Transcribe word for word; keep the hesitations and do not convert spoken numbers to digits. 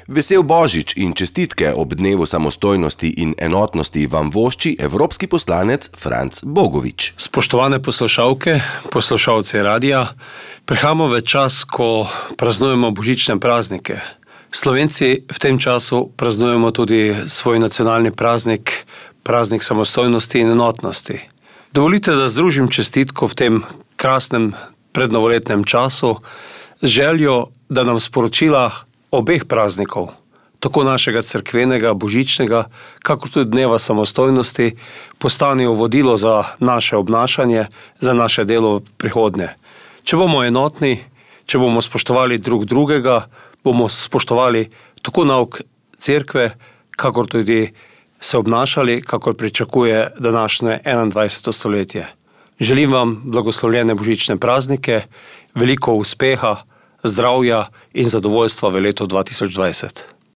Vesel Božič in čestitke ob dnevu samostojnosti in enotnosti vam vošči evropski poslanec Franc Bogovič. Spoštovane poslušalke, poslušalci radija, prihajamo v čas, ko praznujemo božične praznike. Slovenci v tem času praznujemo tudi svoj nacionalni praznik, praznik samostojnosti in enotnosti. Dovolite, da združim čestitko v tem krasnem prednovoletnem času z željo, da nam sporočila obeh praznikov, tako našega cerkvenega, božičnega, kakor tudi dneva samostojnosti, postanejo vodilo za naše obnašanje, za naše delo v prihodnje. Če bomo enotni, če bomo spoštovali drug drugega, bomo spoštovali tako nauk cerkve, kakor tudi se obnašali, kakor pričakuje današnje enaindvajseto stoletje. Želim vam blagoslovljene božične praznike, veliko uspeha, zdravja in zadovoljstva v letu dva tisoč dvajset.